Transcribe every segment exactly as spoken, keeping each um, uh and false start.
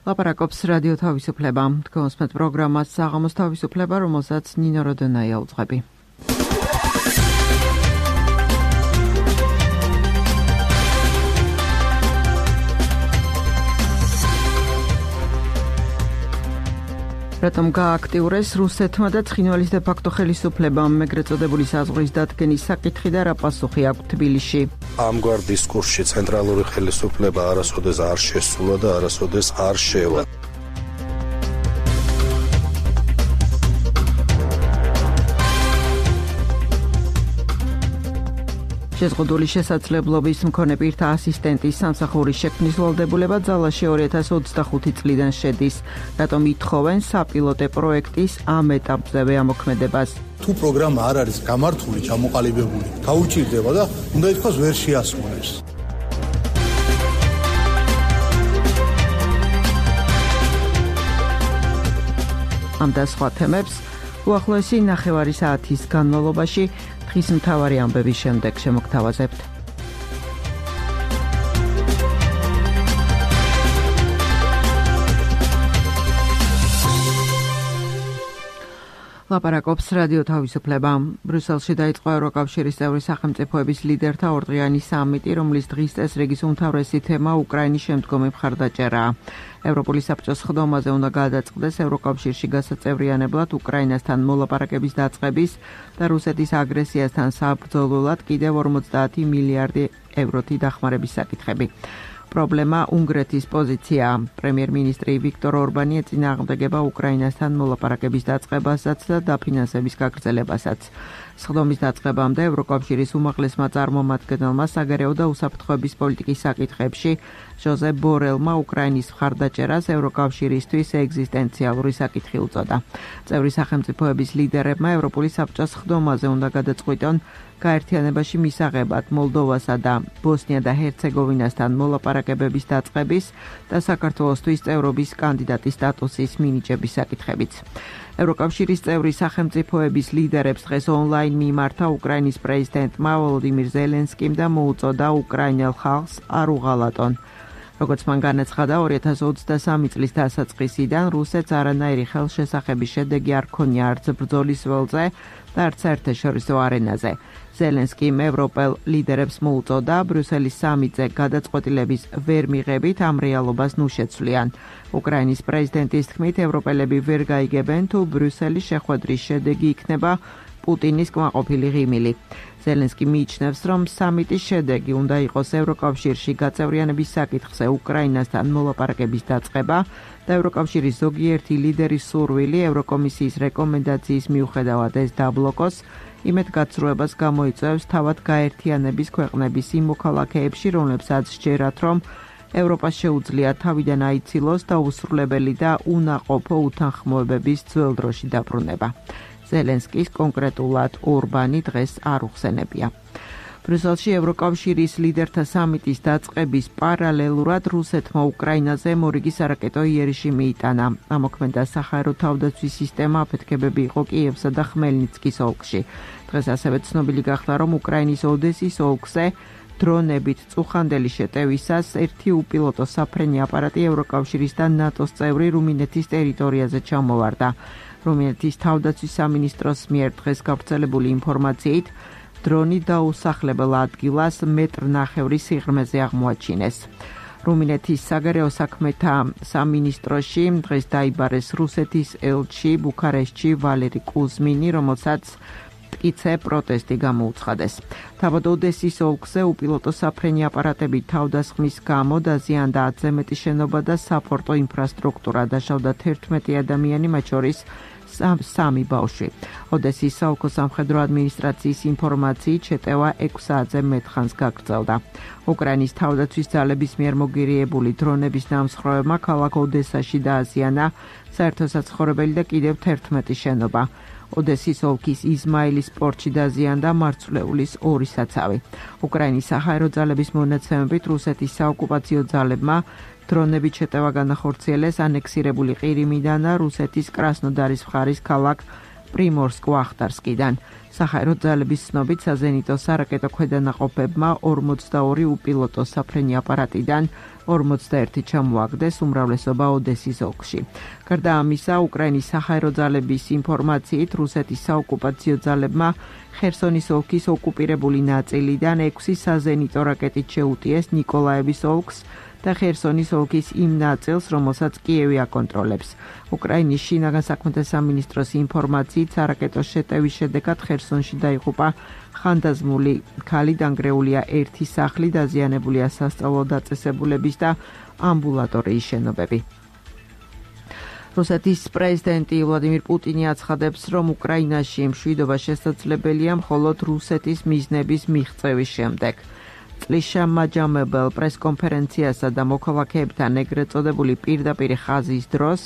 ლაპარაკობს რადიო თავისუფლება. თქვენსმეთ პროგრამას საღამოს თავისუფლება, რომელსაც ნინო როდონაია უძღვები. რატომ გააქტიურეს რუსეთმა და ცხინვალის დე-ფაქტო ხელისუფლებამ ეგრეთ წოდებული საზღვრის დადგენის საკითხი და რა პასუხი აქვს თბილისში? ამგვარ დისკურსში ცენტრალური ხელისუფლება არასოდეს არ შესულა და არასოდეს არ შევა. შეზღუდული შესაძლებლობის მქონე პირთა ასისტენტის სამსახურის შექმნის ვალდებულება ძალაში ორი ათას ოცდახუთი წლიდან შედის. რატომ ითხოვენ საპილოტე პროექტის ამ ეტაპზევე ამოქმედებას? თუ პროგრამა არ არის გამართული, ჩამოყალიბებული, გაუჭირდება და უნდა ითქვას ვერ შეასრულებს. ამ და სხვა თემებს უახლოესი ნახევარი საათის განმავლობაში დღის მთავარი ამბების შემდეგ შემოგთავაზებთ. ლაპარაკობს რადიო თავისუფლება. ბრიუსელში დაიწყო ევროკავშირის წევრი სახელმწიფოების ლიდერთა ორდღიანი სამიტი, რომლის დღის წესრიგის უმთავრესი თემა უკრაინის შემდგომი მხარდაჭერაა. ევროპული საბჭოს ხდომაზე უნდა გადაწყდეს ევროკავშირში გასაწევრიანებლად უკრაინასთან მოლაპარაკების დაწყების და რუსეთის აგრესიასთან საბრძოლველად კიდევ ორმოცდაათი მილიარდი ევროთი დახმარების საკითხები. პრობლემა უნგრეთის პოზიციაა. პრემიერ-მინისტრი ვიქტორ ორბანი ეწინააღმდეგება უკრაინასთან მოლაპარაკების დაწყებასაც და დაფინანსების გაგრძელებასაც. სხდომის დაწყებამდე ევროკავშირის უმაღლესმა წარმომადგენელმა საგარეო და უსაფრთხოების პოლიტიკის საკითხებში ჟოზეფ ბორელმა უკრაინის მხარდაჭერას ევროკავშირისთვის ეგზისტენციალური საკითხი უწოდა. წევრი სახელმწიფოების ლიდერებმა ევროპული საბჭოს სხდომაზე უნდა გადაწყვიტონ გაერთიანებაში მისაღებად მოლდოვასა და ბოსნია და ჰერცეგოვინასთან მოლაპარაკებების დაწყების და საქართველოსთვის წევრობის კანდიდატის სტატუსის მინიჭების საკითხებიც. ევროკავშირის წევრი სახელმწიფოების ლიდერებს დღეს ონლაინ მიმართა უკრაინის პრეზიდენტმა ვოლოდიმირ ზელენსკიმ და მოუწოდა უკრაინელ ხალხს არ უღალატონ. როგორც მან განაცხადა, ორი ათას ოცდასამი წლის დასაწყისიდან რუსეთს არანაირი ხელშესახების შედეგი არ ქონია არც ბრძოლის ველზე და არც საერთაშორისო არენაზე. ზელენსკიმ ევროპელ ლიდერებს მოუწოდა ბრიუსელის სამიტზე გადაწყვეტილების ვერ მიღებით ამ რეალობას ნუ შეცვლიან. უკრაინის პრეზიდენტის თქმით, ევროპელები ვერ გაიგებენ თუ ბრიუსელის შეხვედრის შედეგი იქნება პუტინის კმაყოფილი ღიმილი. ზელენსკი მიიჩნევს, რომ სამიტის შედეგი უნდა იყოს ევროკავშირში გაწევრიანების საკითხზე უკრაინასთან მოლაპარაკების დაწყება და ევროკავშირის ზოგიერთი ლიდერის სურვილი ევროკომისიის რეკომენდაციის მიუხედავად ეს დაბლოკოს, იმედგაცრუებას გამოიწვევს თავად გაერთიანების ქვეყნების იმ მოქალაქეებში, რომლებსაც სჯერათ, რომ ევროპას შეუძლია თავიდან აიცილოს და უსრულებელი და უნაყოფო უთანხმოებების ძველ დროში დაბრუნება. ზელენსკის კონკრეტულად ორბანი დღეს არ უხსენებია. ბრიუსელში ევროკავშირის ლიდერთა სამიტის დაწყების პარალელურად რუსეთმა უკრაინაზე მორიგი სარაკეტო იერიში მიიტანა. ამოქმედა საჰაერო თავდაცვის სისტემა აფეთქებები იყო კიევსა და ხმელნიცკის ოლქში. დღეს ასევე ცნობილი გახდა, რომ უკრაინის ოდესის ოლქზე დრონებით წუხანდელი შეტევისას ერთი უპილოტო საფრენი აპარატი ევროკავშირის და ნატოს წევრი რუმინეთის ტერიტორიაზე ჩამოვარდა. რუმინეთის თავდაცვის სამინისტროს მიერ დღეს გავრცელებული ინფორმაციით, დრონი დაუსახლებელ ადგილას მეტრ ნახევრი სიღრმეზე აღმოაჩინეს. რუმინეთის საგარეო საქმეთა სამინისტროში დღეს დაიბარეს რუსეთის ელჩი ბუქარესტში ვალერი კუზმინი, რომელსაც მტკიცე პროტესტი გამოუცხადეს. თავად ოდესის ოლქზე უპილოტო საფრენი აპარატები თავდასხმის გამო დაზიანდა ათზე მეტი შენობა და საპორტო ინფრასტრუქტურა, დაშავდა თერთმეტი ადამიანი, მათ შორის სამი ბავშვი. ოდესის საოლქო სამხედრო ადმინისტრაციის ინფორმაციით შეტევა ექვს საათზე მეტ ხანს გაგრძელდა. უკრაინის თავდაცვის ძალების მიერ მოგირიებული დრონების დამსხვრევებმა ქალაქ ოდესაში დააზიანა საერთო საცხოვრებელი და კიდევ თერთმეტი შენობა. ოდესის ოლქის იზმაილის პორტში დაზიანდა მარცვლეულის ორი საცავი. უკრაინის საჰაერო ძალების მონაცემებით რუსეთის საოკუპაციო ძალებმა დრონებით შეტევა განახორციელეს ანექსირებული ყირიმიდან და რუსეთის კრასნოდარის მხარის ქალაქ პრიმორსკ-ვახტარსკიდან. საჰაერო ძალების ცნობით საზენიტო სარაკეტო ქვედანაყოფებმა ორმოცდაორი უპილოტო საფრენი აპარატიდან ორმოცდაერთი ჩამოაგდეს, უმრავლესობა ოდესის ოლქში. გარდა ამისა, უკრაინის საჰაერო ძალების ინფორმაციით, რუსეთის საოკუპაციო ძალებმა ხერსონის ოლქის ოკუპირებული ნაწილიდან ექვსი საზენიტო რაკეტით შეუტიეს ნიკოლაევის ოლქს და ხერსონის ოლქის იმ ნაწილს, რომელსაც კიევი აკონტროლებს. უკრაინის შინაგან საქმეთა სამინისტროს ინფორმაციით, სარაკეტო შეტევის შედეგად ხერსონში დაიღუპა ხანდაზმული ქალი, დანგრეულია ერთი სახლი, დაზიანებულია სასწავლო დაწესებულების და ამბულატორიის შენობები. რუსეთის პრეზიდენტი ვლადიმირ პუტინი აცხადებს, რომ უკრაინაში მშვიდობა შესაძლებელია მხოლოდ რუსეთის მიზნების მიღწევის შემდეგ. წლის შემაჯამებელ პრესკონფერენციასა და მოქალაქეებთან ეგრეთ წოდებული პირდაპირ ხაზის დროს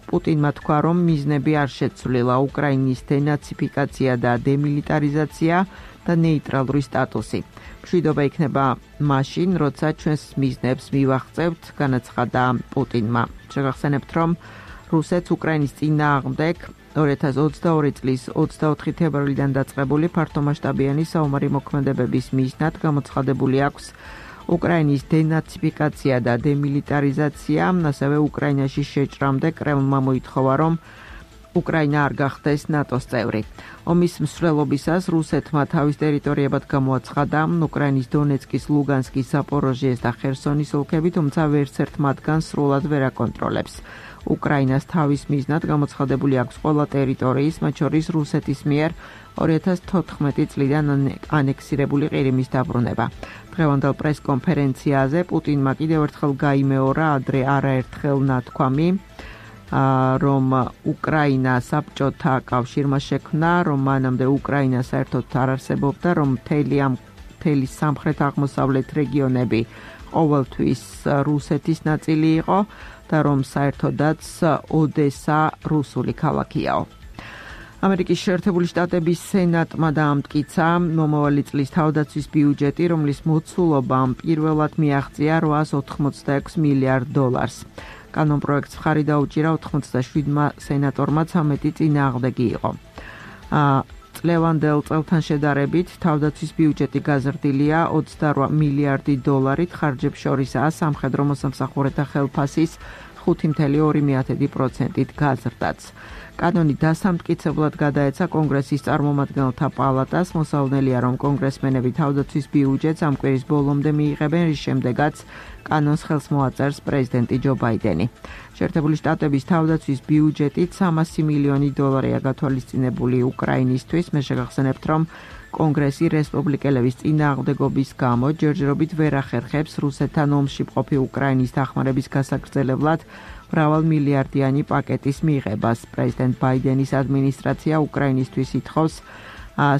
პუტინმა თქვა, რომ მიზნები არ შეცვლილა უკრაინის დენაციფიკაცია და დემილიტარიზაცია და ნეიტრალური სტატუსი. მშვიდობა იქნება მაშინ, როცა ჩვენს მიზნებს მივაღწევთ, განაცხადა პუტინმა. შეგახსენებთ, რომ რუსეთს უკრაინის წინააღმდეგ ორი ათას ოცდაორი წლის ოცდაოთხი თებერვლიდან დაწყებული ფართომასშტაბიანი საომარი მოქმედებების მიზნად გამოცხადებული აქვს უკრაინის დენაციფიკაცია და დემილიტარიზაცია, ასევე უკრაინაში შეჭრამდე კრემლმა მოითხოვა, რომ უკრაინა არ გახდეს ნატოს წევრი. ომის მსვლელობისას რუსეთმა თავის ტერიტორიებად გამოაცხადა უკრაინის დონეცკის, ლუგანსკის, ზაპოროჟიეს და ხერსონის ოლქები, თუმცა ვერცერთ მათგანს სრულად ვერ აკონტროლებს. უკრაინას თავის მიზნად გამოცხადებული აქვს ყველა ტერიტორიის, მათ შორის რუსეთის მიერ ორი ათას თოთხმეტი წლიდან ანექსირებული ყირიმის დაბრუნება. დღევანდელ პრესკონფერენციაზე პუტინმა კიდევ ერთხელ გაიმეორა ადრე არაერთხელ ნათქვამი, რომ უკრაინა საბჭოთა კავშირმა შექმნა, რომ მანამდე უკრაინა საერთოდ არ არსებობდა, რომ მთელი ამ მთელი სამხრეთ-აღმოსავლეთ რეგიონები ყოველთვის რუსეთის ნაწილი იყო და რომ საერთოდაც ოდესა რუსული ქალაქიაო. ამერიკის შეერთებული შტატების სენატმა დაამტკიცა მომავალი წლის თავდაცვის ბიუჯეტი, რომლის მოცულობამ პირველად მიაღწია რვაას ოთხმოცდაექვსი მილიარდ დოლარს. კანონპროექტს მხარი დაუჭირა ოთხმოცდაშვიდმა სენატორმა, ცამეტი წინააღმდეგი იყო. წლევანდელ წელთან შედარებით თავდაცვის ბიუჯეტი გაზრდილია ოცდარვა მილიარდი დოლარით, ხარჯებს შორისაა სამხედრო მოსამსახურეთა ხელფასის ხუთი წუთი ორი პროცენტით გაზრდაც. კანონი დასამტკიცებლად გადაეცა კონგრესის წარმომადგენელთა პალატას, მოსალოდნელია, რომ კონგრესმენები თავდაცვის ბიუჯეტს ამ კვირის ბოლომდე მიიღებენ, რის შემდეგაც კანონს ხელს მოაწერს პრეზიდენტი ჯო ბაიდენი. შეერთებული შტატების თავდაცვის ბიუჯეტით სამასი მილიონი დოლარია გათვალისწინებული უკრაინისთვის. მე შეგახსენებთ, რომ კონგრესი რესპუბლიკელების წინააღმდეგობის გამო ჯერჯერობით ვერ ახერხებს რუსეთთან ომში მყოფი უკრაინის დახმარების გასაგრძელებლად მრავალ მილიარდიანი პაკეტის მიღებას. პრეზიდენტ ბაიდენის ადმინისტრაცია უკრაინისთვის ითხოვს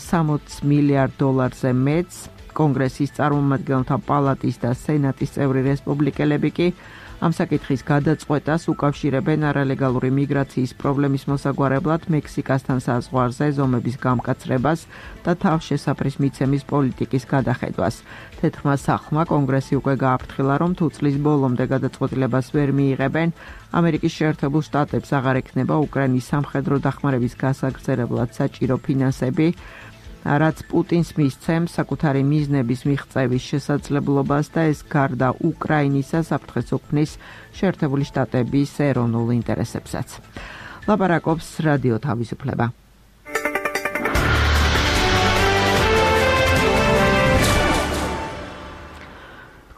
სამოცი მილიარდ დოლარზე მეტს. კონგრესის წარმომადგენელთა პალატის და სენატის წევრი რესპუბლიკელები კი ამ საკითხის გადაწყვეტას უკავშირებენ არალეგალური მიგრაციის პრობლემის მოსაგვარებლად მექსიკასთან საზღვარზე ზომების გამკაცრებას და თავშესაფრის მიცემის პოლიტიკის გადახედვას. თეთრმა სახლმა კონგრესი უკვე გააფრთხილა, რომ თუ წლის ბოლომდე გადაწყვეტილებას ვერ მიიღებენ, ამერიკის შეერთებულ შტატებს აღარ ექნება უკრაინის სამხედრო დახმარების გასაგრძელებლად საჭირო ფინანსები, რაც პუტინს მისცემს საკუთარი მიზნების მიღწევის შესაძლებლობას და ეს გარდა უკრაინისა საფრთხეს უქმნის შეერთებული შტატების ეროვნულ ინტერესებსაც. ლაპარაკობს რადიო თავისუფლება.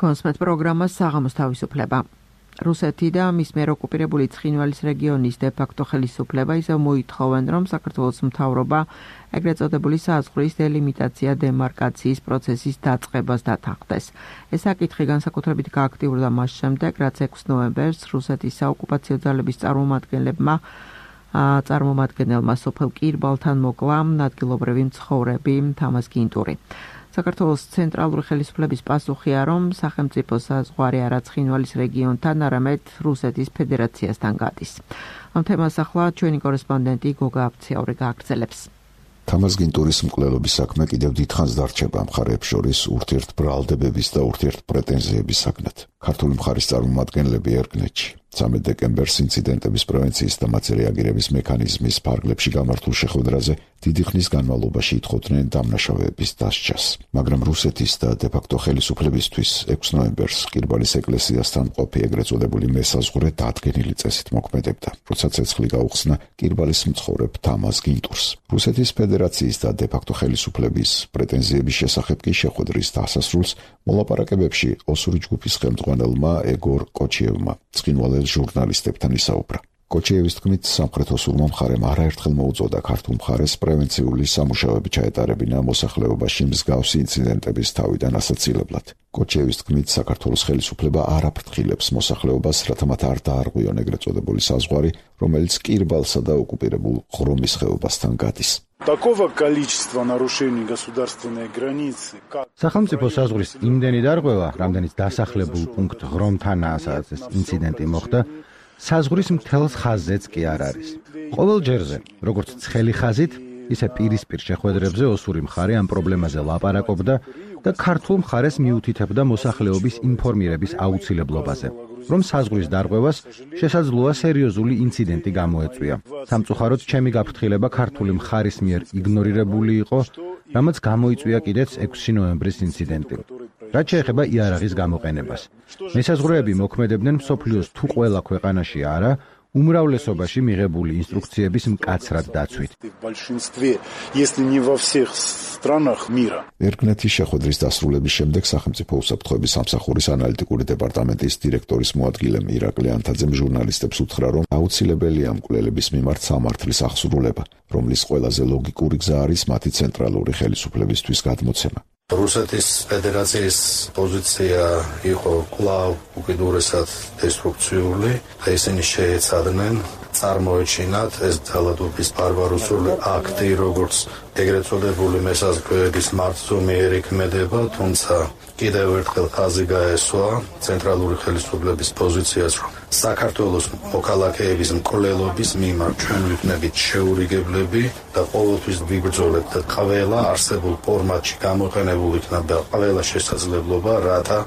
კონსმეთ პროგრამა საღამოს თავისუფლება. რუსეთი და მის მიერ ოკუპირებული ცხინვალის რეგიონის დე-ფაქტო ხელისუფლება ისევ მოითხოვენ, რომ საქართველოს მთავრობა ეგრეთ წოდებული საზღვრის დელიმიტაცია დემარკაციის პროცესის დაწყებას დათანხმდეს. ეს საკითხი განსაკუთრებით გააქტიურდა მას შემდეგ, რაც ექვსი ნოემბერს რუსეთის საოკუპაციო ძალების წარმომადგენლებმა წარმომადგენელმა სოფელ კირბალთან მოკლა ადგილობრივი მცხოვრები თამაზ გინტური. საქართველოს ცენტრალური ხელისუფლების პასუხია, რომ სახელმწიფო საზღვარი არა ცხინვალის რეგიონთან, არამედ რუსეთის ფედერაციასთან გადის. ამ თემას ახლა ჩვენი კორესპონდენტი გოგა აფციაური გააგრძელებს. თამაზ გინტურის მკვლელობის საქმე კიდევ დიდხანს დარჩება მხარეებს შორის ურთიერთბრალდებების და ურთიერთპრეტენზიების საგნად. ქართული მხარის წარმომადგენლები ერგნეთში ცამეტ დეკემბერს ინციდენტების პრევენციის და მათზე რეაგირების მექანიზმის ფარგლებში გამართულ შეხვედრაზე დიდი ხნის განმავლობაში ითხოვდნენ დამნაშავეების დასჯას. მაგრამ რუსეთის და დე-ფაქტო ხელისუფლებისთვის ექვსი ნოემბერს ყირბალის ეკლესიასთან მყოფი ეგრეთ წოდებული მესაზღვრე დადგენილი წესით მოქმედებდა, როცა ცეცხლი გაუხსნა ყირბალის მცხოვრებ თამაზ გინტურს. რუსეთის ფედერაციის და დე-ფაქტო ხელისუფლების პრეტენზიების შესახებ კი შეხვედრის დასასრულს მოლაპარაკებებში ოსური ჯგუფის ხელმძღვანელმა ეგორ კოჩიევმა ცხინვალელ ჟურნალისტებთან ისაუბრა. კოჩიევის თქმით, სამხრეთ ოსურმა მხარემ არაერთხელ მოუწოდა ქართულ მხარეს პრევენციული სამუშაოები ჩაეტარებინა მოსახლეობაში მსგავსი ინციდენტების თავიდან ასაცილებლად. კოჩიევის თქმით, საქართველოს ხელისუფლება არ აფრთხილებს მოსახლეობას, რათა მათ არ დაარღვიონ ეგრეთ წოდებული საზღვარი, რომელიც ყირბალსა და ოკუპირებულ ღრომის ხეობასთან გადის. Такого количества нарушений государственной границы, как სახელმწიფო საზღვრის იმდენი დარღვევა, რამდენიც დასახლებულ პუნქტ ღრომთანაა, სადაც ეს ინციდენტი მოხდა, საზღვრის მთელს ხაზზეც კი არ არის. ყოველ ჯერზე, როგორც ცხელი ხაზით, ისე პირისპირ შეხვედრებზე ოსური მხარე ამ პრობლემაზე ლაპარაკობდა და ქართულ მხარეს მიუთითებდა მოსახლეობის ინფორმირების აუცილებლობაზე, რომ საზღვრის დარღვევას შესაძლოა სერიოზული ინციდენტი გამოეწვია. სამწუხაროდ, ჩემი გაფრთხილება ქართული მხარის მიერ იგნორირებული იყო, რამაც გამოიწვია კიდეც ექვსი ნოემბრის ინციდენტი. რაც შეეხება იარაღის გამოყენებას. მესაზღვრეები მოქმედებდნენ მსოფლიოს თუ ყველა ქვეყანაში არა, უმრავლესობაში მიღებული ინსტრუქციების მკაცრად დაცვით. ერგნეთის შეხვედრის დასრულების შემდეგ სახელმწიფო უსაფრთხოების სამსახურის ანალიტიკური დეპარტამენტის დირექტორის მოადგილემ ირაკლი ანთაძემ ჟურნალისტებს უთხრა, რომ აუცილებელია მკვლელების მიმართ სამართლის აღსრულება, რომლის ყველაზე ლოგიკური გზა არის მათი ცენტრალური ხელისუფლებისთვის გადმოცემა. რუსეთის ფედერაციის პოზიცია იყო კვლავ უკიდურესად დესტრუქციული და ისინი შეეცადნენ წარმოეჩინათ ეს ძალადობის ბარბაროსული აქტი, როგორც ეგრეთ წოდებული მესაზღვრეების მარცხნივ ეკმედება, თუმცა კიდევ ერთხელ ხაზი გაესვა ცენტრალური ხელისუფლების პოზიციას, რომ საქართველოს მოქალაქეების მკვლელობის მიმართ ჩვენ ვიქნებით შეურიგებლები და ყოველთვის ვიბრძოლებთ და ყველა არსებულ ფორმატში გამოყენებულ იქნება ყველა შესაძლებლობა, რათა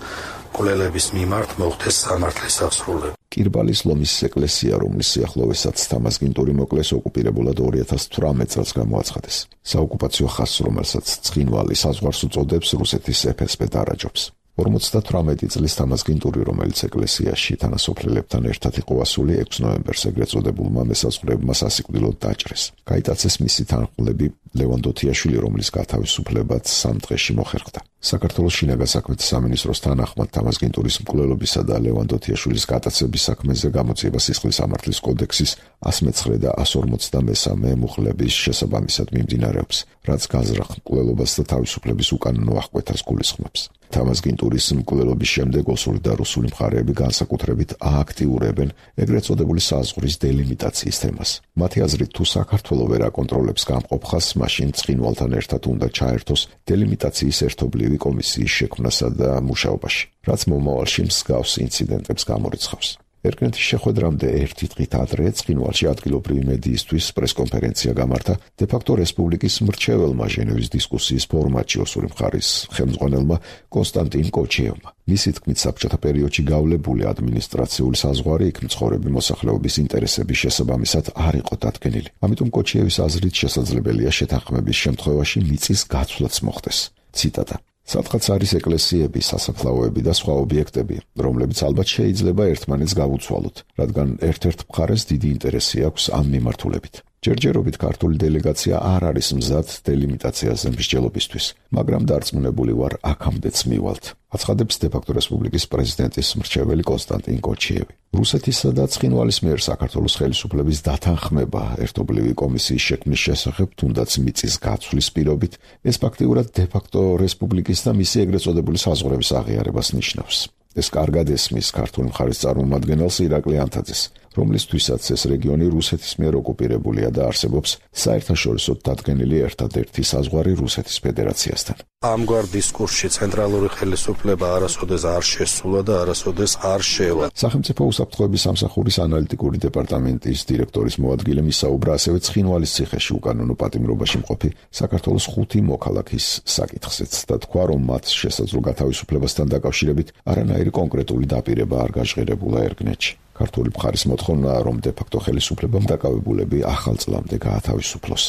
მკვლელების მიმართ მოხდეს სამართლის აღსრულება. ყირბალის ლომის ეკლესია, რომლის სიახლოვესაც თამაზ გინტური მოკლეს, ოკუპირებულად ორი ათას თვრამეტ წელს გამოაცხადეს. საოკუპაციო ხაზს, რომელსაც ცხინვალი საზღვარს უწოდებს, რუსეთის ეფ-ეს-ბე დარაჯობს. ორმოცდათვრამეტი წლის თამაზ გინტური, რომელიც ეკლესიაში თანასოფლელებთან ერთად იყო ასული, ექვსი ნოემბერს ეგრეთ წოდებულმა მესაზღვრეებმა სასიკვდილოდ დაჭრეს. გაიტაცეს მისი თანხმლები ლევან დოთიაშვილი, რომლის გათავისუფლებაც სამ დღეში მოხერხდა. საქართველოს შინაგან საქმეთა სამინისტროს თანახმად თამაზ გინტურის მკვლელობისა და ლევან დოთიაშვილის გატაცების საქმეზე გამოძიება სისხლის სამართლის კოდექსის ასი მეცხრე და ასი ორმოცდამესამე მუხლების შესაბამისად მიმდინარეობს, რაც განზრახ მკვლელობას და თავისუფლების უკანონო აღკვეთას გულისხმობს. თამაზ გინტურის მკვლელობის შემდეგ ოსური და რუსული მხარეები განსაკუთრებით ააქტიურებენ ეგრეთ წოდებული საზღვრის დელიმიტაციის თემას. მათი აზრით, თუ საქართველო ვერ აკონტროლებს გამყოფ ხაზს, მაშინ ცხინვალთან ერთად უნდა ჩაერთოს დელიმიტაციის ერთობლივი კომისიის შექმნასა და მუშაობაში, რაც მომავალში მსგავს ინციდენტებს გამორიცხავს. ერგნეთის შეხვედრამდე ერთი დღით ადრე ცხინვალში ადგილობრივი მედიისთვის პრესკონფერენცია გამართა დე-ფაქტო რესპუბლიკის მრჩეველმა ჟენევის დისკუსიის ფორმატში ოსური მხარის ხელმძღვანელმა კონსტანტინ კოჩიევმა. მისი თქმით, საბჭოთა პერიოდში გავლებული ადმინისტრაციული საზღვარი იქ მცხოვრები მოსახლეობის ინტერესების შესაბამისად არ იყო დადგენილი. ამიტომ კოჩიევის აზრით შესაძლებელია შეთანხმების შემთხვევაში მიწის გაცვლაც მოხდეს. ციტატა: სადღაც არის ეკლესიები, სასაფლაოები და სხვა ობიექტები, რომლებიც ალბათ შეიძლება ერთმანეთს გავუცვალოთ, რადგან ერთ-ერთ მხარეს დიდი ინტერესი აქვს ამ მიმართულებით. ჯერჯერობით ქართული დელეგაცია არ არის მზად დელიმიტაციაზე მსჯელობისთვის, მაგრამ დარწმუნებული ვარ, აქამდეც მივალთ. აცხადებს დე-ფაქტო რესპუბლიკის პრეზიდენტის მრჩეველი კონსტანტინ კოჩიევი. რუსეთისა და ცხინვალის მიერ საქართველოს ხელისუფლების დათანხმება ერთობლივი კომისიის შექმნის შესახებ, თუნდაც მიწის გაცვლის პირობით, ეს ფაქტიურად დე-ფაქტო რესპუბლიკის და მისი ეგრეთ წოდებული საზღვრების აღიარებას ნიშნავს. ეს კარგად ესმის ქართული მხარის წარმომადგენელს ირაკლი ანთაძეს, რომლისთვისაც ეს რეგიონი რუსეთის მიერ ოკუპირებულია და არსებობს საერთაშორისოდ დადგენილი ერთადერთი საზღვარი რუსეთის ფედერაციასთან. ამგვარ დისკურსში ცენტრალური ხელისუფლება არასოდეს არ შესულა და არასოდეს არ შევა. სახელმწიფო უსაფრთხოების სამსახურის ანალიტიკური დეპარტამენტის დირექტორის მოადგილემ ისაუბრა ასევე ცხინვალის ციხეში უკანონო პატიმრობაში მყოფი საქართველოს ხუთი მოქალაქის საკითხზეც და თქვა, რომ მათ შესაძლო გათავისუფლებასთან დაკავშირებით არანაირი კონკრეტული დაპირება არ გაჟღერებულა ერგნეთში. ქართული მხარის მოთხოვნაა, რომ დე-ფაქტო ხელისუფლებამ დაკავებულები ახალ წლამდე გაათავისუფლოს.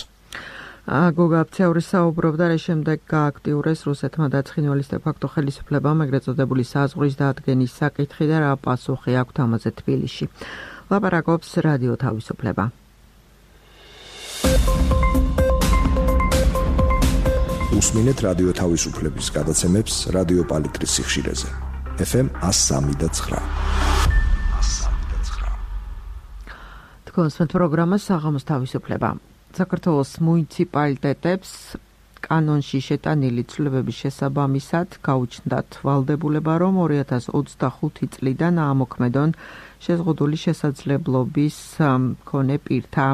გოგა აფცეური საუბრობდა, რა შემდეგ გააქტიურეს რუსეთმა და ცხინვალის დე-ფაქტო ხელისუფლებამ ეგრეთ წოდებული საზღვრის დადგენის საკითხი და რა პასუხი აქვთ ამაზე თბილისში. ლაპარაკობს რადიო თავისუფლება. უსმინეთ რადიო თავისუფლების გადაცემებს რადიო პალიტრის სიხშირეზე. ეფ ემ one oh three point nine. თქვენს პროგრამა საღამოს თავისუფლება. საქართველოს მუნიციპალიტეტებს კანონში შეტანილი ცვლილებების შესაბამისად გაუჩნდათ ვალდებულება, რომ ორი ათას ოცდახუთი წლიდან აამოქმედონ შეზღუდული შესაძლებლობის მქონე პირთა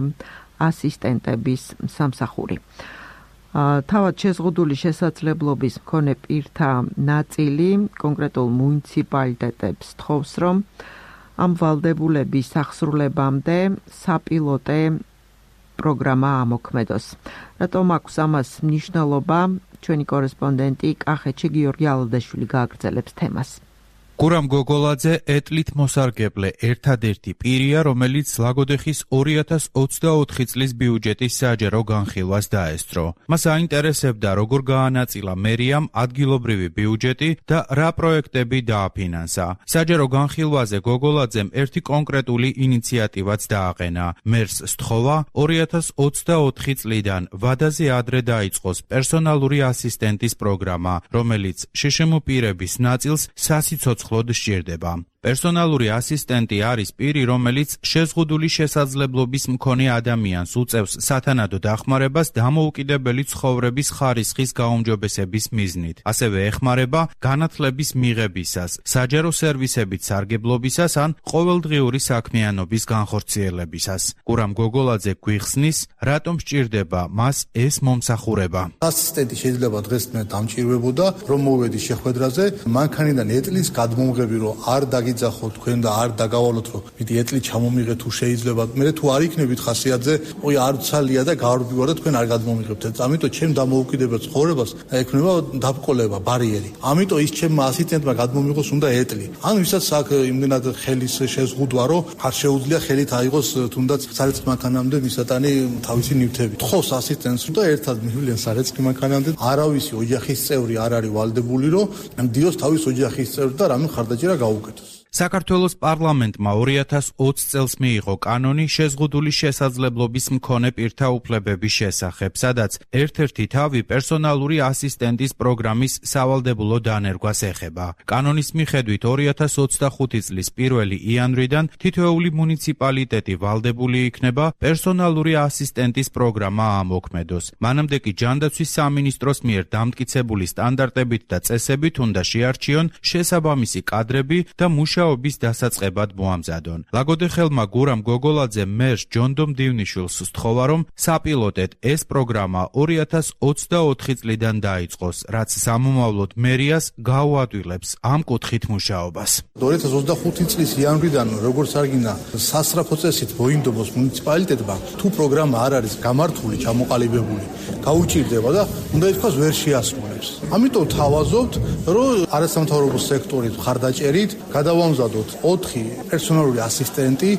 ასისტენტების სამსახური. თავად შეზღუდული შესაძლებლობის მქონე პირთა ნაწილი კონკრეტულ მუნიციპალიტეტებს თხოვს, რომ ამ ვალდებულების აღსრულებამდე საპილოტე პროგრამა ამოქმედოს. რატომ აქვს ამას მნიშვნელობა? ჩვენი კორესპონდენტი კახეთში გიორგი ალადაშვილი გააგრძელებს თემას. გურამ გოგოლაძე ეტლით მოსარგებლე ერთადერთი პირია, რომელიც ლაგოდეხის ორი ათას ოცდაოთხი წლის ბიუჯეტის საჯარო განხილვას დაესწრო. მას აინტერესებდა, როგორ გაანაწილა მერიამ ადგილობრივი ბიუჯეტი და რა პროექტები დააფინანსა. საჯარო განხილვაზე გოგოლაძემ ერთი კონკრეტული ინიციატივაც დააყენა. მერს სთხოვა ორი ათას ოცდაოთხი წლიდან ვადაზე ადრე დაიწყოს პერსონალური ასისტენტის პროგრამა, რომელიც შშმ პირების ნაწილს სასიცოცხლოდ სჭირდება. პერსონალური ასისტენტი არის პირი, რომელიც შეზღუდული შესაძლებლობის მქონე ადამიანს უწევს სათანადო დახმარებას დამოუკიდებელი ცხოვრების ხარისხის გაუმჯობესების მიზნით. ასევე ეხმარება განათლების მიღებისას, საჯარო სერვისებით სარგებლობისას ან ყოველდღიური საქმიანობის განხორციელებისას. გურამ გოგოლაძე გვიხსნის, რატომ სჭირდება მას ეს მომსახურება. ასისტენტი შეიძლება დღეს მე დამჭირვებოდა, რომ მოვედი შეხვედრაზე, მანქანიდან ეტლის გადმომღები, რომ არ დაგი იძახოთ თქვენ და არ დაგავალოთ, რომ მითი ეტლი ჩამომიღეთ თუ შეიძლება. მე თუ არ იქნებით ხასიათზე, ой არ ცალია და გავარბივარ და თქვენ არ გადმომიღებთ. ამიტომ ჩემ დამოუკიდებელ ცხოვრებას ექნება დაბკოლება, ბარიერი. ამიტომ ის ჩემმა ასისტენტმა გადმომიღოს უნდა ეტლი. ან ვისაც აქ იმდენად ხელის შეზღუდვა, რომ არ შეუძლია ხელით აიღოს თუნდაც სარეცხ მანქანამდე მისატანი თავისი ნივთები. თხოვს ასისტენტს და ერთად მივლენ სარეცხ მანქანამდე. არავისი ოჯახის წევრი არ არის ვალდებული, რომ დიოს თავის ოჯახის წევრს და რამე ხარდაჭერა გაუკეთოს. საქართველოს პარლამენტმა ორი ათას ოცი წელს მიიღო კანონი შეზღუდული შესაძლებლობის მქონე პირთა უფლებების შესახებ, სადაც ერთ-ერთი თავი პერსონალური ასისტენტის პროგრამის სავალდებულო დანერგვას ეხება. კანონის მიხედვით ორი ათას ოცდახუთი წლის პირველი იანვრიდან თითოეული მუნიციპალიტეტი ვალდებული იქნება პერსონალური ასისტენტის პროგრამა ამოქმედოს. მანამდე კი ჯანდაცვის სამინისტროს მიერ დამტკიცებული სტანდარტებით და წესებით უნდა შეარჩიონ შესაბამისი კადრები და მუშაობები მუშაობის დასაწყებად მოამზადონ. ლაგოდეხელმა გურამ გოგოლაძე მერს ჯონდომ დივნიშვილს სთხოვა, რომ საპილოტედ ეს პროგრამა ორი ათას ოცდაოთხი წლიდან დაიწყოს, რაც სამომავლოდ მერიას გაუადვილებს ამ კუთხით მუშაობას. ორი ათას ოცდახუთი წლის იანვრიდან როგორც არგინა სასწრაფო წესით მოინდომოს მუნიციპალიტეტმა, თუ პროგრამა არ არის გამართული, ჩამოყალიბებული, გაუჭირდება და უნდა ითქვას ვერ შეასრულებს. ამიტომ თავაზობთ, რომ არასამთავრობო სექტორით ხარდაჭერით გადავამზადოთ ოთხი პერსონალური ასისტენტი,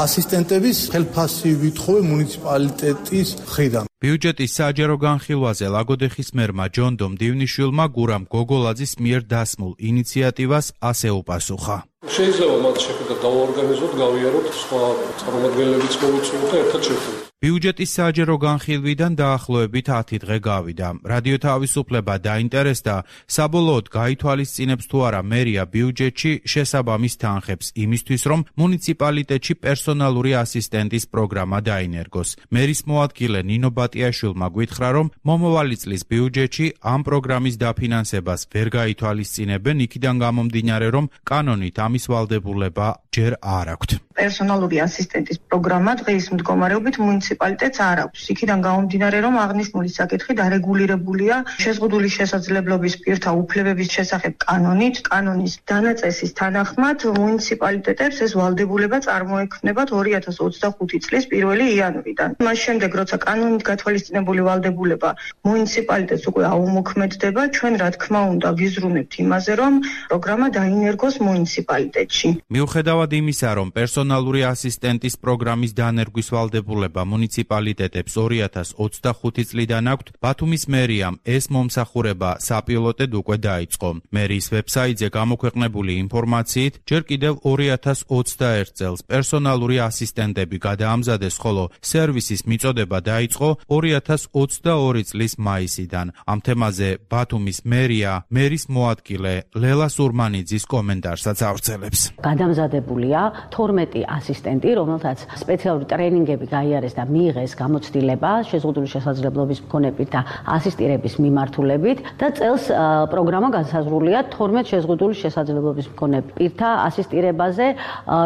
ასისტენტების ხელფასი ვითხოვე მუნიციპალიტეტის მხრიდან. ბიუჯეტის საჯარო განხილვაზე ლაგოდეხის მერმა ჯონდომ დივნიშვილმა გურამ გოგოლაძის მიერ დასმულ ინიციატივას ასე უპასუხა. შეიძლება მათ შეხვედრა დავაორგანიზოთ, გავიაროთ, სხვა წარმომადგენლებიც მოვიწვიოთ და ერთად შევხვდებით. ბიუჯეტის საჯარო განხილვიდან დაახლოებით ათი დღე გავიდა. რადიო თავისუფლება დაინტერესდა, საბოლოოდ გაითვალისწინებს თუ არა მერია ბიუჯეტში შესაბამის თანხებს იმისთვის, რომ მუნიციპალიტეტში პერსონალური ასისტენტის პროგრამა დაინერგოს. მერის მოადგილე ნინო ბატიაშვილმა გითხრა, რომ მომავალი წლის ბიუჯეტში ამ პროგრამის დაფინანსებას ვერ გაითვალისწინებენ, იქიდან გამომდინარე, რომ კანონით ამის ვალდებულება ჯერ არ აქვთ. პერსონალური ასისტენტის პროგრამა დღის მდგომარეობით მუნიციპალიტეტს არ აქვს. იქიდან გამომდინარე, რომ აღნიშნული საკითხი დარეგულირებულია შეზღუდული შესაძლებლობის პირთა უფლებების შესახებ კანონით. კანონის დანაწესის თანახმად მუნიციპალიტეტებს ეს ვალდებულება წარმოექმნებათ ორი ათას ოცდახუთი წლის პირველი იანვრიდან. მას შემდეგ, როცა კანონით გათვალისწინებული ვალდებულება მუნიციპალიტეტს უკვე აუმოქმედდება, ჩვენ რა თქმა უნდა ვიზრუნებთ იმაზე, რომ პროგრამა დაინერგოს მუნიციპალიტეტში. მიუხედავად იმისა, რომ პერსონალური პერსონალური ასისტენტის პროგრამის დანერგვის ვალდებულება მუნიციპალიტეტებს ორი ათას ოცდახუთი წლიდან აქვთ, ბათუმის მერიამ ეს მომსახურება საპილოტედ უკვე დაიწყო. მერიის ვებსაიტზე გამოქვეყნებული ინფორმაციით, ჯერ კიდევ ორი ათას ოცდაერთ წელს პერსონალური ასისტენტები გადაამზადეს, ხოლო სერვისის მიწოდება დაიწყო ორი ათას ოცდაორი წლის მაისიდან. ამ თემაზე ბათუმის მერია მერის მოადგილე ლელა სურმანიძის კომენტარსაც ავრცელებს. გადამზადებულია თორმეტი ასისტენტი, რომელთაც სპეციალური ტრენინგები გაიარეს და მიიღეს გამოცდილება შეზღუდული შესაძლებლობის მქონე პირთა ასისტირების მიმართულებით და წელს პროგრამა განსაზღვრულია თორმეტ შეზღუდული შესაძლებლობის მქონე პირთა ასისტირებაზე,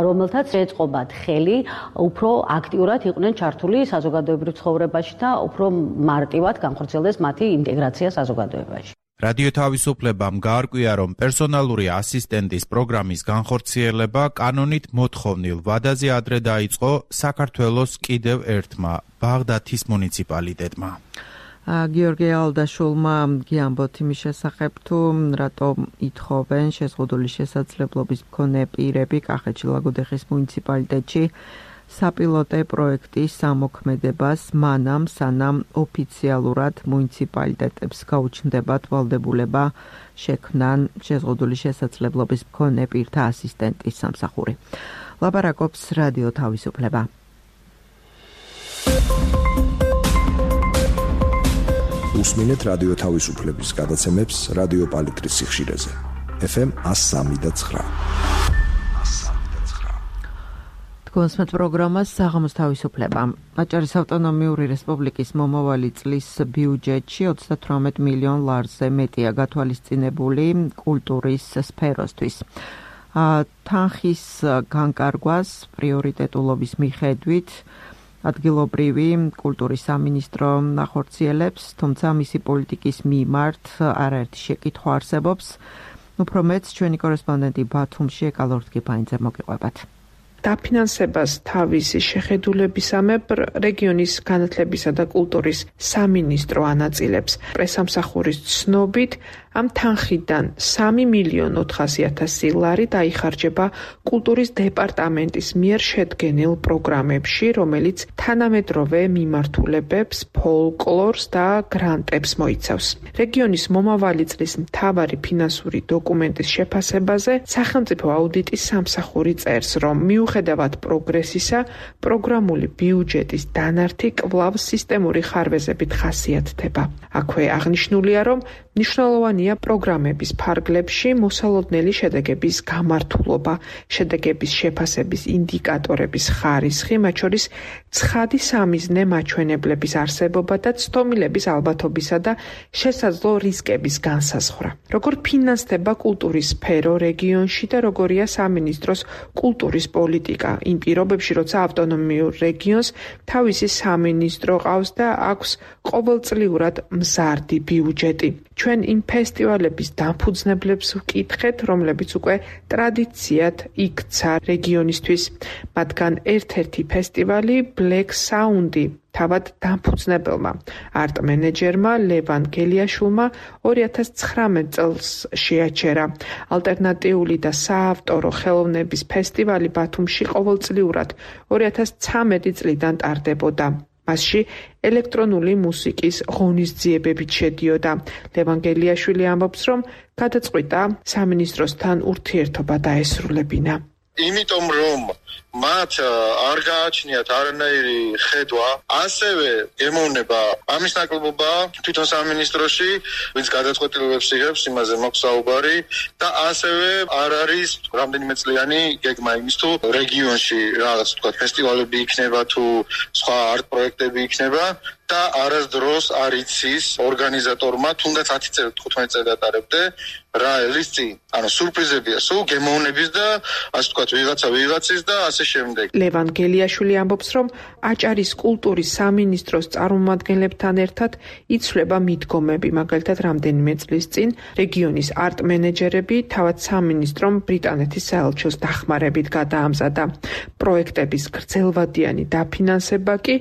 რომელთაც ეწყობათ ხელი უფრო აქტიურად იყვნენ ჩართული საზოგადოებრივ ცხოვრებაში და უფრო მარტივად განხორციელდეს მათი ინტეგრაცია საზოგადოებაში. რადიო თავისუფლებამ გაარკვია, რომ პერსონალური ასისტენტის პროგრამის განხორციელება კანონით მოთხოვნილ ვადაზე ადრე დაიწყო საქართველოს კიდევ ერთმა ბაღდათის მუნიციპალიტეტმა. გიორგი ალდაშულმა გიამბოთ იმის შესახებ, თუ რატომ ითხოვენ შეზღუდული შესაძლებლობის მქონე პირები კახეთში ლაგოდეხის მუნიციპალიტეტში საპილოტე პროექტის სამოქმედებას მანამ, სანამ ოფიციალურად მუნიციპალიტეტებს გაუჩნდებათ ვალდებულება შექმნან შეზღუდული შესაძლებლობის მქონე პირთა ასისტენტის სამსახური. ლაპარაკობს რადიო თავისუფლება. უსმინეთ რადიო თავისუფლების გადაცემებს რადიო პალიტრის სიხშირეზე. ეფ ემ one oh three point nine. გონსმეთ პროგრამას საღამოს თავისუფლება. აჭარის ავტონომიური რესპუბლიკის მომავალი წლის ბიუჯეტში ოცდათვრამეტ მილიონ ლარზე მეტია გათვალისწინებული კულტურის სფეროსთვის. თანხის განკარგვას პრიორიტეტულობის მიხედვით ადგილობრივი კულტურის სამინისტრო ახორციელებს, თუმცა მისი პოლიტიკის მიმართ არაერთი შეკითხვა არსებობს. უფრო მეც ჩვენი კორესპონდენტი ბათუმში ეკალორთგიფაინძე მოგიყვებათ. დაფინანსებას თავისი შეხედულებისამებრ რეგიონის განათლებისა და კულტურის სამინისტრო ანაწილებს. პრესამსახურის ცნობით, ამ თანხიდან სამი მილიონი ოთხასი ათასი ლარი დაიხარჯება კულტურის დეპარტამენტის მიერ შედგენილ პროგრამებში, რომელიც თანამედროვე მიმართულებებს, ფოლკლორს და გრანტებს მოიცავს. რეგიონის მომავალი წლის მთავარი ფინანსური დოკუმენტის შეფასებაზე სახელმწიფო აუდიტის სამსახური წერს, რომ მიუხედავად პროგრესისა, პროგრამული ბიუჯეტის დანართი კვლავ სისტემური ხარვეზებით ხასიათდება. აქვე აღნიშნულია, რომ მნიშვნელოვანია პროგრამების ფარგლებში მოსალოდნელი შედეგების გამართულობა, შედეგების შეფასების ინდიკატორების ხარისხი, მათ შორის ცხადი სამიზნე მაჩვენებლების არსებობა და ცდომილების ალბათობისა და შესაძლო რისკების განსაზღვრა. როგორ ფინანსდება კულტურის სფერო რეგიონში და როგორია სამინისტროს კულტურის პოლიტიკა იმ პირობებში, როცა ავტონომიურ რეგიონს თავისი სამინისტრო ყავს და აქვს ყოველწლიურად მზარდი ბიუჯეტი. ჩვენ იმ ფესტივალების დამფუძნებლებს ვკითხეთ, რომლებიც უკვე ტრადიციად იქცა რეგიონისთვის. მათგან ერთ-ერთი ფესტივალი Black Sound-ი თავად დამფუძნებელმა არტ მენეჯერმა ლევან გელიაშვილმა ორი ათას ცხრამეტ წელს შეაჩერა. ალტერნატიული და საავტორო ხელოვნების ფესტივალი ბათუმში ყოველწლიურად ორი ათას ცხრამეტი წლიდან ტარდებოდა. მასში ელექტრონული მუსიკის ღონისძიებებით შედიოდა. ლევან გელიაშვილი ამბობს, რომ გადაწყვიტა სამინისტროსთან ურთიერთობა დაესრულებინა. იმიტომ რომ მათ არ გააჩნიათ არანაირი ხედვა, ასევე ემოვნება ამის ნაკლებობა თვითონ სამინისტროში, ვინც გადაწყვეტილებებს იღებს, იმაზე მაქვს საუბარი და ასევე არ არის რამდენიმე წლიანი გეგმა იმის, თუ რეგიონში რაღაც თქვა ფესტივალები იქნება თუ სხვა არტ პროექტები იქნება და არასდროს არ იცის ორგანიზატორმა, თუნდაც ათი წელი თხუთმეტი წელი დატარებდე, რა ელის წინ. ანუ სურპრიზებია, სულ გემოვნების და ასე თქვა ვიღაცა ვიღაცის და ასე შემდეგ. ლევან გელიაშვილი ამბობს, რომ აჭარის კულტურის სამინისტროს წარმომადგენლებთან ერთად იცვლება მიდგომები, მაგალითად რამდენიმე წლის წინ რეგიონის არტ მენეჯერები თავად სამინისტრომ ბრიტანეთის საელჩოს დახმარებით გადაამზადა. პროექტების გრძელვადიანი დაფინანსება კი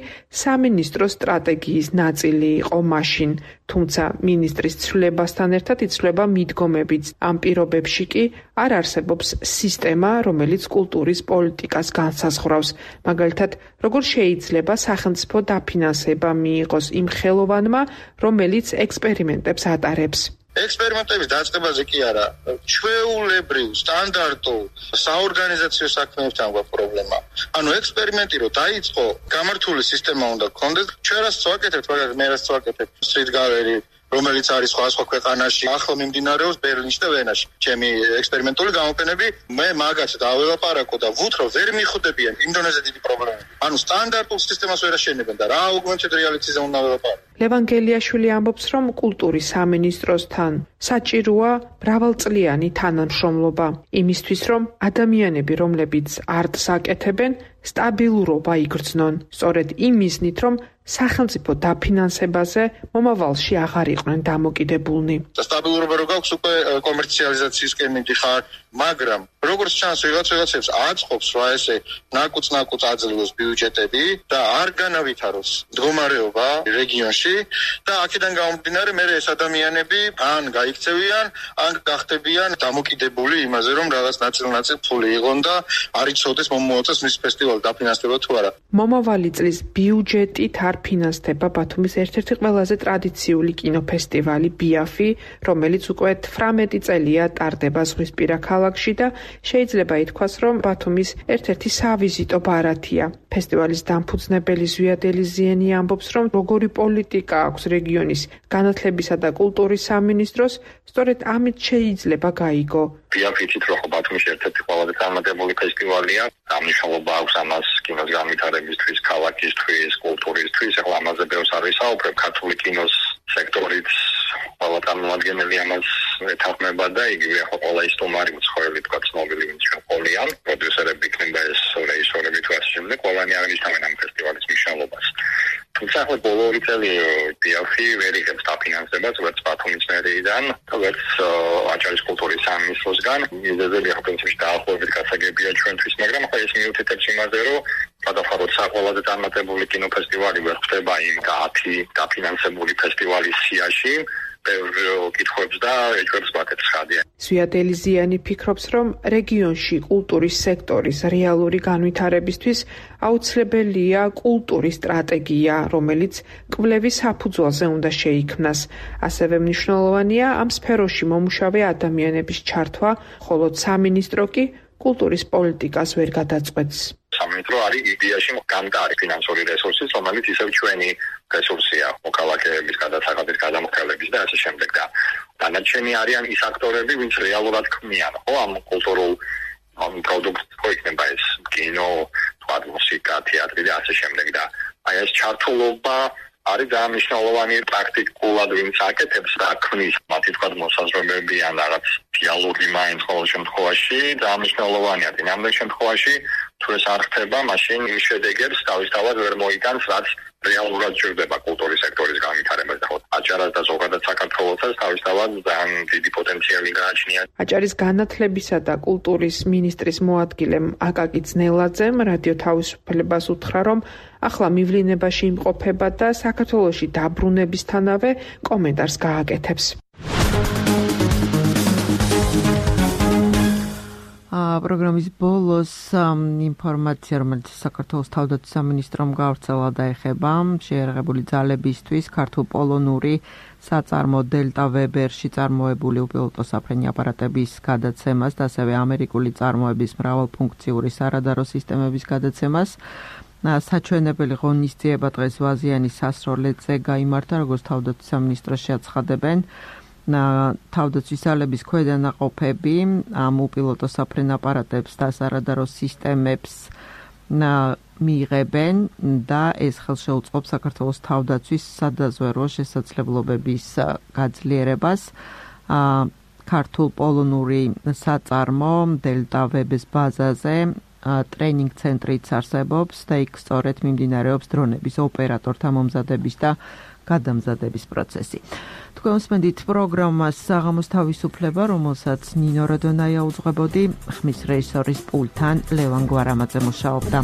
სამინისტროს სტრატეგიის ნაწილი იყო მაშინ, თუმცა მინისტრის ცვლილებასთან ერთად იცვლება მიდგომებიც. ამ პირობებში კი არ არსებობს სისტემა, რომელიც კულტურის პოლიტიკას განსაზღვრავს. მაგალითად, როგორ შეიძლება სახელმწიფო დაფინანსება მიიღოს იმ ხელოვანმა, რომელიც ექსპერიმენტებს ატარებს. ექსპერიმენტების დაწყებაზე კი არა, ჩვეულებრივ, სტანდარტულ საორგანიზაციო საქმეებთან გვაქვს პრობლემა. ანუ ექსპერიმენტი რო დაიწყო, გამართული სისტემა უნდა გქონდეს. ჩვენ რაც ვაკეთებთ, მაგალითად, მე რაც ვაკეთებ, Street Gallery, რომელიც არის სხვა სხვა ქვეყანაში, ახლა მიმდინარეობს ბერლინში და ვენაში. ჩემი ექსპერიმენტული გამოფენები, მე მაგაც დაველაპარაკო და ვუთრო ვერ მიხვდებიან იმდენზე დიდი პრობლემები. ანუ სტანდარტულ სისტემას ვერ აშენებენ და რა augmented reality-ზე უნდა ველაპარაკო. ლევან გელიაშვილი ამბობს, რომ კულტურის სამინისტროსთან საჭიროა მრავალწლიანი თანამშრომლობა, იმისთვის, რომ ადამიანები, რომლებიც არტს აკეთებენ, სტაბილურობა იგრძნონ. სწორედ იმ მიზნით, რომ სახელმწიფო დაფინანსებაზე მომავალში აღარ იყვნენ დამოკიდებულნი. სტაბილურობა რო გაქვს, უკვე კომერციალიზაციისკენ მიდიხარ, მაგრამ როგორც ჩანს, ვიღაც ვიღაცებს აწყობს, რა ესე ნაკუწ-ნაკუწ აძლევს ბიუჯეტები და არ განავითაროს მდგომარეობა რეგიონში და აქედან გამომდინარე, მე ეს ადამიანები ან გაიქცევიან, ან გახდებიან დამოკიდებული იმაზე, რომ რაღაც ნაწილ-ნაწილ ფული იღონ და არ იცოდეს მომავალს მის ფესტივალს დაფინანსდება თუ არა. მომავალი წლის ბიუჯეტით არ ფინანსდება ბათუმის ერთ-ერთი ყველაზე ტრადიციული კინოფესტივალი ბიაფი, რომელიც უკვე თვრამეტი წელია ტარდება ზღვისპირა ქალაქში და შეიძლება ითქვას, რომ ბათუმის ერთ-ერთი სავიზიტო ბარათია. ფესტივალის დამფუძნებელი ზვიად ელიზიანი ამბობს, რომ როგორი პოლიტიკა აქვს რეგიონის განათლებისა და კულტურის სამინისტროს, სწორედ ამით შეიძლება გაიგო. ბიაფი თვითონ ბათუმის ერთ-ერთი ყველაზე წარმატებული ფესტივალია. ამნიშნულობა აქვს ამას კინოს განვითარებისთვის, ქალაქისთვის, კულტურისთვის. ეხლა ამაზე ბევრს არ ვისაუბრებ, ქართული კინოს სექტორიც ყველა წარმომადგენელი ამას ეთანხმება და იგივე ახლა ყველა ის სტუმარი უცხოელი თქვა ცნობილი ვინც ჩვენ ყოლიან, პროდიუსერები იქნება ეს რეჟისორები თუ ასე შემდეგ, ყველანი აღნიშნავენ ამ ფესტივალის მნიშვნელობას. თუმცა ახლა ბოლო ორი წელი ბიაფი ვერ იღებს დაფინანსებას, ვერც ბათუმის მერიიდან, ვერც აჭარის კულტურის სამინისტროსგან. მიზეზები ახლა პრინციპში დაახლოებით გასაგებია ჩვენთვის, მაგრამ ახლა ეს მიუთითებს იმაზე, რომ გადავხაროთ საყოველთაოდ წარმატებული კინოფესტივალი ვერ ხდება იმ ათი დაფინანსებული ფესტივალის სიაში. კითხვებს და ეჭვებს ვაკეთებს ხადია. ზვიად ელიზიანი ფიქრობს, რომ რეგიონში კულტურის სექტორის რეალური განვითარებისთვის აუცილებელია კულტურის სტრატეგია, რომელიც კვლევის საფუძველზე უნდა შეიქმნას. ასევე მნიშვნელოვანია ამ სფეროში მომუშავე ადამიანების ჩართვა, ხოლო სამინისტრო კი კულტურის პოლიტიკას ვერ გადაწყვეტს. სამინისტრო არის იდეაში გამტარი ფინანსური რესურსის, რომელიც ისევ ჩვენი რესურსია, მოქალაქეების გადასახადის გადამხდელების და ასე შემდეგ და დანარჩენი არიან ის აქტორები, ვინც რეალურად ქმნიან, ხო, ამ კულტურულ ამ პროდუქტს, ხო იქნება ეს კინო, თქვა მუსიკა, თეატრი და ასე შემდეგ და აი ეს ჩართულობა არის დამნიშნულოვანი პრაქტიკულად ვინც აკეთებს და ქმნის მათი თქვა მოსაზრებები ან რაღაც დიალოგი მაინც ყოველ შემთხვევაში დამნიშნულოვანია. დინამიკურ შემთხვევაში თუ ეს არ ხდება, მაშინ იმ შედეგებს თავისთავად ვერ მოიტანს, რაც რეალურად ჭირდება კულტურის სექტორის განვითარებას და აჭარას და ზოგადად საქართველოსაც თავისთავად ძალიან დიდი პოტენციალი გააჩნია. აჭარის განათლებისა და კულტურის მინისტრის მოადგილემ აკაკი ძნელაძემ რადიო თავისუფლებას უთხრა, რომ ახლა მივლინებაში იმყოფება და საქართველოში დაბრუნებისთანავე კომენტარს გააკეთებს. პროგრამის ბოლოს ინფორმაცია, რომელიც საქართველოს თავდაცვის სამინისტრომ გავრცელა და ეხება შეიარაღებული ძალებისთვის ქართულ-პოლონური საწარმო დელტა ვებერში წარმოებული უპილოტო საფრენი აპარატების გადაცემას და ასევე ამერიკული წარმოების მრავალფუნქციური სარადარო სისტემების გადაცემას. საჩვენებელი ღონისძიება დღეს ვაზიანის სასროლეთზე გაიმართა, როგორც თავდაცვის სამინისტროში აცხადებენ. თავდაცვის ძალების ქვედანაყოფები ამ უპილოტო საფრენ აპარატებს და სარადარო სისტემებს მიიღებენ და ეს ხელშეუწყობს საქართველოს თავდაცვის სადაზვერვო შესაძლებლობების გაძლიერებას. ქართულ-პოლონური საწარმო დელტა ვების ბაზაზე ტრენინგ ცენტრიც არსებობს და იქ სწორედ მიმდინარეობს დრონების ოპერატორთა მომზადების და გადამზადების პროცესი. თქვენ უსმენთ პროგრამას საღამოს თავისუფლება, რომელსაც ნინო როდონაია უძღვებოდი, ხმის რეჟისორის პულტთან ლევან გვარამაძე მუშაობდა.